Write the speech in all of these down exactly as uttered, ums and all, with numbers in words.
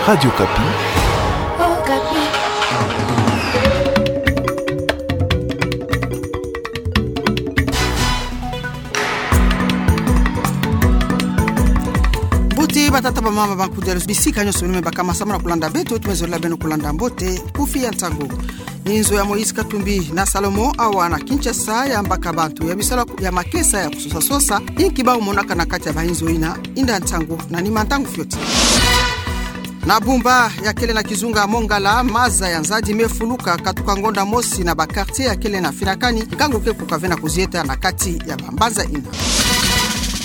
Radio Okapi. Mbote batata, bamama, bankudi ya luzitu, bisika nyonso beno me baka, masambu na kulanda beto, tumezolele beno kulanda mbote, kufi ya ntangu. Inzo ya Moïse Katumbi na Salomon awa na Kinshasa yambaka bantu ya bisalu ya makesa ya kusosa-sosa, inki bau monaka na kati ya bainzo ina, inda ntangu na nima ntangu fioti. Na Bumba ya kele na kizunga Mongala, maza ya nzadi me fuluka katuka ngonda mosi na ba quartier ya kele na finakani, nkangu ke kuka ve na kuzieta na kati ya bambanza ina.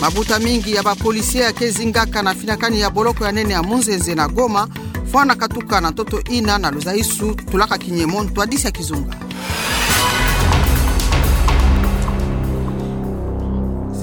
Mabuta mingi ya ba policiers ya ke zingaka na finakani ya boloko ya nene ya Munzenze na Goma, fwana katuka na ntoto ina na luzaisu tulaka kinyemo, ntwadisi ya kizunga.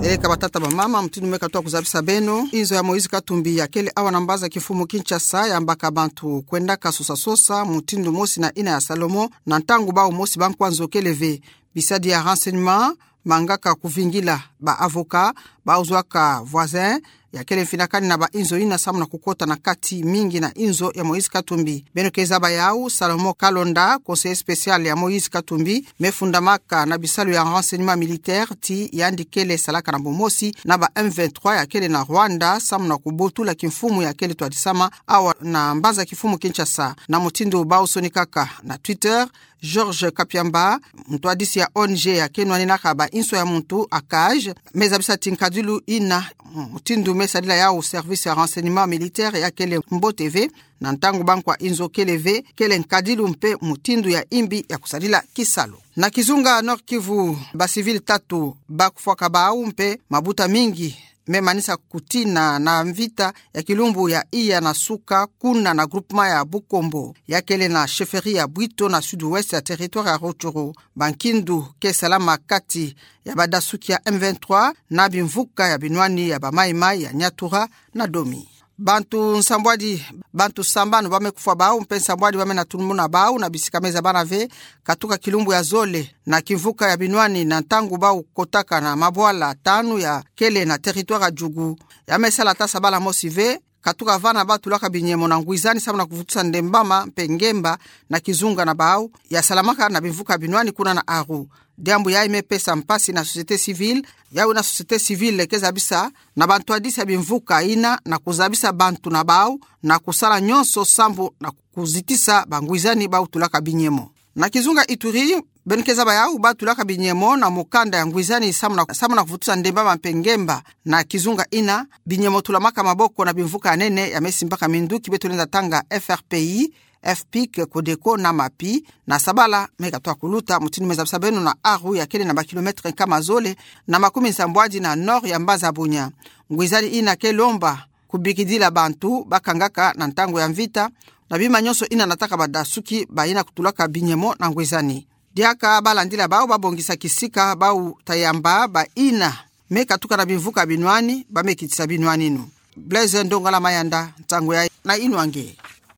Seleka batata, bamama, mutindu me katuka kuzabisa beno, inzo ya Moïse Katumbi ya kele awa na mbanza kimfumu Kinshasa yambaka bantu kwendaka sosa-sosa mutindu mosi na ina ya Salomon, na ntangu bau mosi ba nkwa nzo kele ve. Bisadi ya renseignement mangaka kuvingila ba avocats bau zwaka voisin ya kele mfinakani na bainzo ina samu na kukota na kati mingi na inzo ya Moïse Katumbi. Beno ke zaba yau, Salomon Kalonda, conseiller spécial ya Moïse Katumbi, me fundamaka na bisalu ya renseignement militaire ti yandi kele salaka na bumosi na ba M vingt-trois ya kele na Rwanda samu na kubotula kimfumu ya kele twadisama awa na mbanza kimfumu Kinshasa. Na mutindu bau sonikaka na Twitter, Georges Kapiamba, ntwadisi ya O N G ya ke nwaninaka ba inso ya muntu, ACAJ, me zabisa ti nkadilu ina mutindu me sadila yau service ya renseignement militaire ya kele mbote ve, na ntangu ba nkwa inzo kele ve, kele nkadilu mpe mutindu ya imbi ya kusadila kisalu. Na kizunga Nord-Kivu, ba civils tatu ba kufwaka bau mpe mabuta mingi me manisa kutina na mvita ya kilumbu ya iya na suka kuna na groupement ya Bukombo, ya kele na chefferie ya Bwito na sud-ouest ya territoire ya Rutshuru. Bankindu ke salama kati ya badasuki ya M vingt-trois na bimvuka ya binwani ya ba Mai-Mai ya Nyatura na Domi. Bantu nsambwadi, bantu sambanu ba me kufwa bau, mpe nsambwadi ba me na tunumuna bau na bisika me zabana ve, katuka kilumbu ya zole na kimvuka ya binwani na ntangu bau kotaka na mabwala tanu ya kele na territoire ya Djugu. Ya me sala ata sabala mosi ve, katuka vana bau tulaka binyemo na ngwizani samu na kuvutusa ndembama mpe ngemba na kizunga na bau ya salamaka na bimvuka binwani kuna na Aru. Diambu yayi me pesa mpasi na société civile, yayi na société civile ke zabisa na bantwadisi ya bimvuka ina na kuzabisa bantu na bau na kusala nyonso sambu na kuzitisa bangwizani bau tulaka binyemo. Na kizunga Ituri, beno ke zaba yau bau tulaka binyemo na mukanda ya ngwizani samu na, samu na kuvutusa ndembama mpe ngemba na kizunga ina, binyemo tulamaka maboko na bimvuka ya nene ya me simbaka minduki beto lenda tanga F R P I, F pic, Codeco na MAPI, na sabala me katuka kuluta, mutindu me zabisa beno na Aru ya kele na ba kilomètre nkama zole na makumi nsambwadi na nord ya mbanza Bunia. Ngwizani ina ke lomba kubikidila bantu ba kangaka na ntangu ya mvita, na bima nyonso ina nataka badasuki ba ina kutulaka binyemo na ngwizani. Diaka ba landila bau ba bongisa kisika bau ta yamba ba ina me katuka na bimvuka binwani, ba me kitisa binwaninu. Blaise Ndongala Mayanda, ntangu ya na inwange.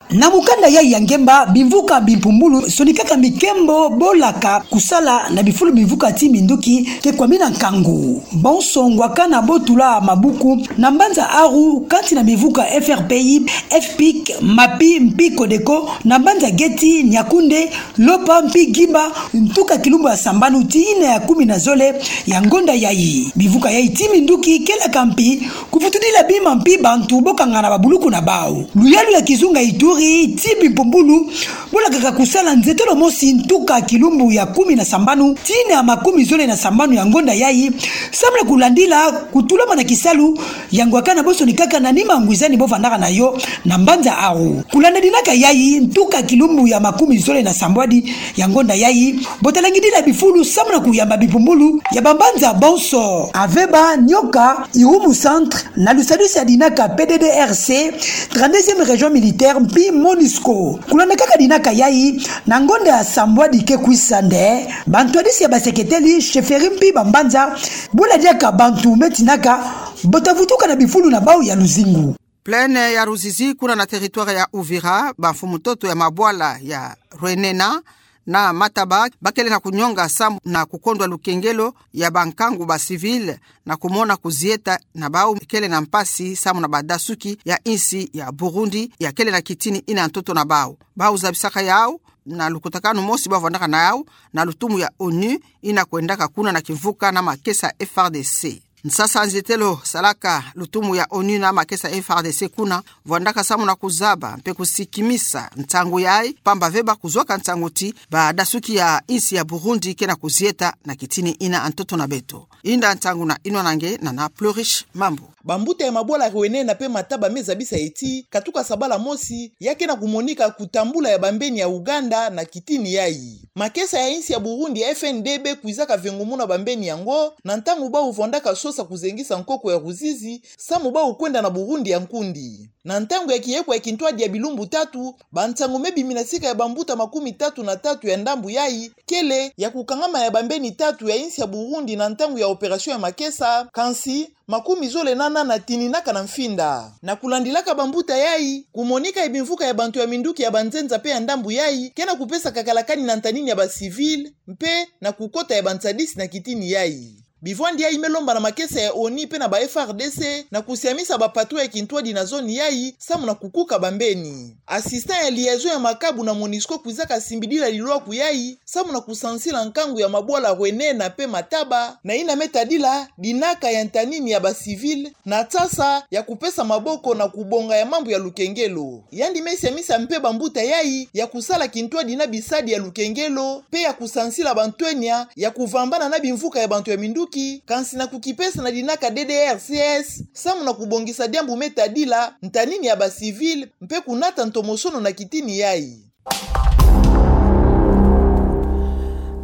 Na mukanda yayi ya ngemba, bimvuka bimpumbulu sonikaka mikembo bo laka kusala na bifulu bimvuka ti minduki ke kwamina nkangu. Bonso ngwakana bo tula mabuku na mbanza Aru, kati na bimvuka F R P I, F pic, MAPI, mpi Codeco, na mbanza Geti, Niakoundé, Lopa, mpi Guiba, ntuka kilumbu ya sambanu ti ina ya kumi na zole ya ngonda yayi. Bimvuka yayi ti minduki ke laka mpi kuvutudila bima mpi bantu bo kangana babuluku na bau. Luyalu ya kizunga Ituri ti bimpumbulu bo lakaka kusala nzetolo mosi ntuka kilumbu ya kumi na sambanu ti ina ya makumi zole na sambanu ya ngonda yayi, samu na kulandila kutulama na kisalu ya ngwakana bo sonikaka na nima ngwizani bo vandaka na yo na mbanza Aru. Kulanda dinaka yayi, ntuka kilumbu ya makumi zole na sambwadi ya ngonda yayi, bo ta langidila bifulu samu na kuyamba bimpumbulu ya bambanza bonso, Aveba, Nioka, Irumu Centre, na lusadusi ya dinaka P D D R C, trente-deuxième région militaire, mpi MONUSCO. Kulanda kaka dinaka yayi, na ngonda ya sambwadi ke kwisa nde, bantwadisi ya baseketeli, chefferie mpi bambanza, bo ladiaka bantu me tinaka bo ta vutuka na bifulu na bau ya luzingu. Plaine ya Ruzizi, kuna na territoire ya Uvira, bamfumu ntoto ya mabwala ya Rwenena na Mataba, bakele na kunyonga samu na kukondwa lukengelo ya bankangu ba civil, na kumona kuzieta na bau kele na mpasi samu na badasuki ya insi ya Burundi, ya kele na kitini ina ntoto na bau. Bau zabisaka yau na lukutakanu mosi bau vandaka na yau na lutumu ya onu, ina kwendaka kuna na kimvuka na makesa F R D C. Nsasa nzietelo salaka lutumu ya onu na makesa F R D C kuna, vandaka samu na kuzaba mpe kusikimisa ntangu yai, pamba ve bakuzwaka ntangu ti badasuki ya insi ya Burundi ke na kuzieta na kitini ina ntoto na beto. Inda ntangu na inwanangana na Plurish Mambu. Bambuta ya mabwala Rwene na mpe Mataba me zabisa ti katuka sabala mosi, ya ke na kumonika kutambula ya bambeni ya Uganda na kitini yai. Makesa ya insi ya Burundi ya F N D B kwizaka vengumuna bambeni yango, na ntangu bau vandaka sosa kuzengisa nkoko ya Ruzizi, samu bau kwenda na Burundi ya nkundi. Na ntangu ya kieko ya kintwadi ya bilumbu tatu, bantangu me bimina sika ya bambuta makumi tatu na tatu ya ndambu yai, kele ya kukangama ya bambeni tatu ya insi ya Burundi na ntangu ya opération ya makesa, kansi makumi zole na nana tininaka na mfinda. Na kulandilaka bambuta yai, kumonika ya bimvuka ya bantu ya minduki ya banzenza mpe ya ndambu yai ke na kupesa kakalakani na ntanini ya ba civil, mpe na kukota ya bansadisi na kitini yai. Bivwandi yai me lomba na makesa ya onu mpe na ba F R D C na kusiamisa bapatrouille ya kintwadi na zone yai, samu na kukuka bambeni. Assistant ya liaison ya Makabu na Monusco kwizaka simbidila lilwaku yai, samu na kusansila nkangu ya mabwala Rwene na mpe Mataba, na ina me tadila dinaka ya ntanini ya ba civil, na tsasa ya kupesa maboko na kubonga ya mambu ya lukengelo. Yandi me siamisa mpe bambuta yai ya kusala kintwadi na bisadi ya lukengelo, mpe ya kusansila bantwenia ya kuvambana na bimvuka ya bantu ya minduki, kansi na kukipesa na dinaka D D R C S, samu na kubongisa diambu me tadila ntanini ya ba civil, mpe kunata ntomosono na kitini yai.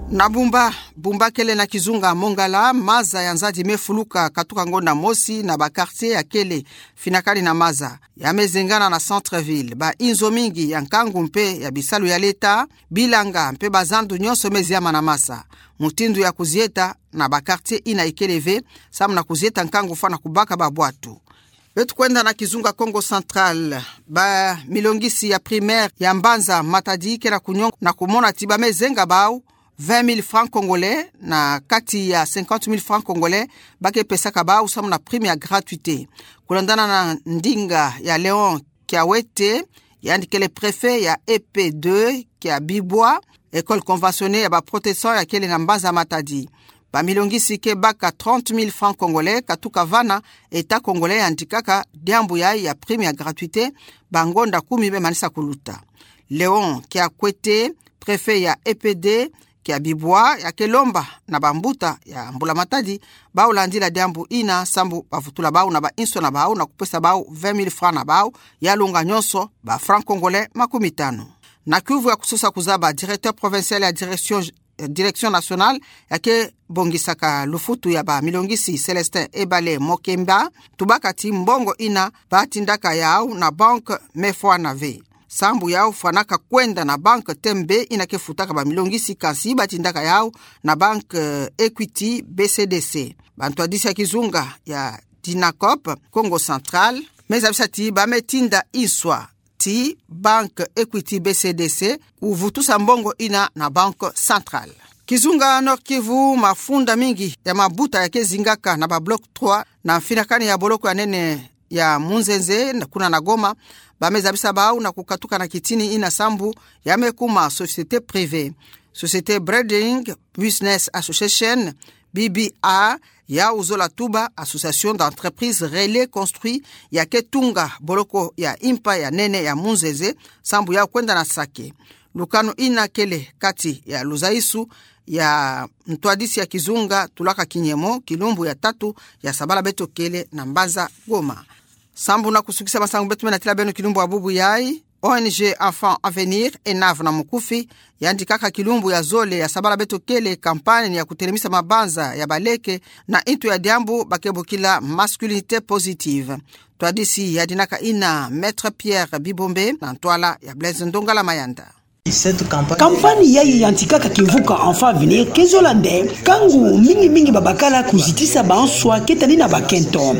Na Bumba, Bumba kele na kizunga Mongala, maza ya nzadi me fuluka katuka ngonda mosi na ba quartier ya kele finakani na maza. Ya me zengana na centre-ville, ba inzo mingi ya nkangu mpe ya bisalu ya leta, bilanga mpe bazandu nyonso me ziama na maza. Mutindu ya kuzieta na ba quartier ina ikele ve, samu na kuzieta nkangu fwana kubaka babwatu. Beto kwenda na kizunga Kongo Central, bamilongisi ya primaire ya mbanza Matadi ke na kunyonga na kumona ti ba me zenga bau vingt mille francs congolais, na kati ya cinquante mille francs congolais ba ke pesaka bau samu na prime ya gratuité. Kulandana na ndinga ya Léon Kiawete, yandi kele préfet ya E P deux kia Bibwa, école conventionnée ya ba protestants ya kele na mbanza Matadi. Bamilongisi ke baka trente mille francs congolais katuka vana État congolais yandikaka diambu yai ya prime ya gratuité, bangonda kumi me manisa kuluta. Léon Kiakwete, préfet ya E P deux kia Bibwa, ya ke lomba na bambuta ya Mbula Matadi bau landila diambu ina, sambu bavutula bau na ba inso na bau na kupesa bau vingt mille francs na bau, ya longa nyonso ba francs congolais makumi tanu. Na kiuvu ya kusosa kuzaba, directeur provincial ya direction, direction nationale ya ke bongisaka lufutu ya bamilongisi, Célestin Ebale Mokemba, tubaka ti mbongo ina ba tindaka yau na banque me fwana ve. Sambu yau fwanaka kwenda na banque Tembe ina ke futaka bamilongisi, kansi ba tindaka yau na banque, eh, Equity B C D C. Bantwadisi ya kizunga ya Dinacop Kongo Central me zabisa ti ba me tinda inswa ti banque Equity B C D C kuvutusa mbongo ina na banque centrale. Kizunga Nord-Kivu, mafunda mingi ya mabuta ya ke zingaka na ba bloc trois na mfinakani ya boloko ya nene ya Munzenze, na kuna na Goma, ba me zabisa bau na kukatuka na kitini ina sambu ya me kuma société privée. Société Breeding Business Association, B B A, yau zola tuba Association d'entreprise Relais Construit, ya ke tunga boloko ya impa ya nene ya Munzenze, sambu yau kwenda na sake. Lukanu ina kele kati ya luzaisu ya ntwadisi ya kizunga Tulaka Kinyemo, kilumbu ya tatu ya sabala beto kele na mbanza Goma. Sambu na kusukisa masangu beto me natila beno kilumbu ya bubu yai, O N G Enfants Avenir, ENAV na mukufi, yandikaka kilumbu ya zole ya sabala beto kele campagne ya kutelemisa mabanza ya baleke na intu ya diambu ba ke bokila masculinité positive. Ntwadisi ya dinaka ina Maître Pierre Bibombe na ntwala ya Blaise Ndongala Mayanda. Kampani yayi yantikaka kimvuka Enfants Avenir ke zola nde kangu mingi mingi babakala kuzitisa banswa ke tani na bakento.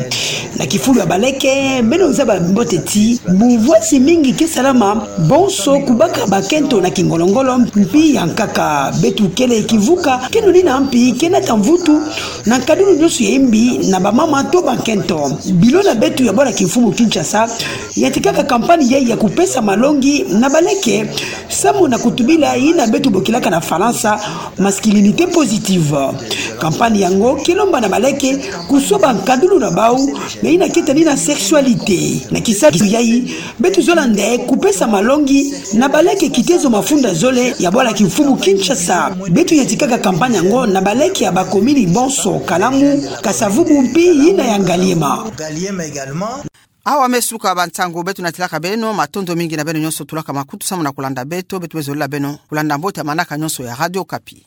Na kifulu ya baleke, beno zaba mbote ti buvwasi mingi ke salama, bonso kubaka bakento na kingolo-ngolo mpi yankaka. Beto kele kivuka ke nonina mpi ke nata mvutu na nkadulu nyonso ya imbi na bamama to bakento. Bilo na beto ya bwala kimfumu Kinshasa yantikaka kampani yayi ya kupesa malongi na baleke samu na kutubila yina beto bokilaka na Falansa masculinité positive. Kampani yango ke lomba na baleke kusoba nkadulu na bau na yina ke tani na sexualité. Na kisalu yayi, beto zola nde kupesa malongi na baleke kitezo mafunda zole ya bwala kimfumu Kinshasa. Beto yantikaka kampani yango na baleke ya bakomini bonso, Kalamu, Kasa-Vubu mpi yina ya Ngaliema. Awa me suka bantangu, beto natilaka beno matondo mingi na beno nyonso tulaka makutu samu na kulanda beto. Beto me zolila beno kulanda mbote ya manaka nyonso ya Radio Okapi.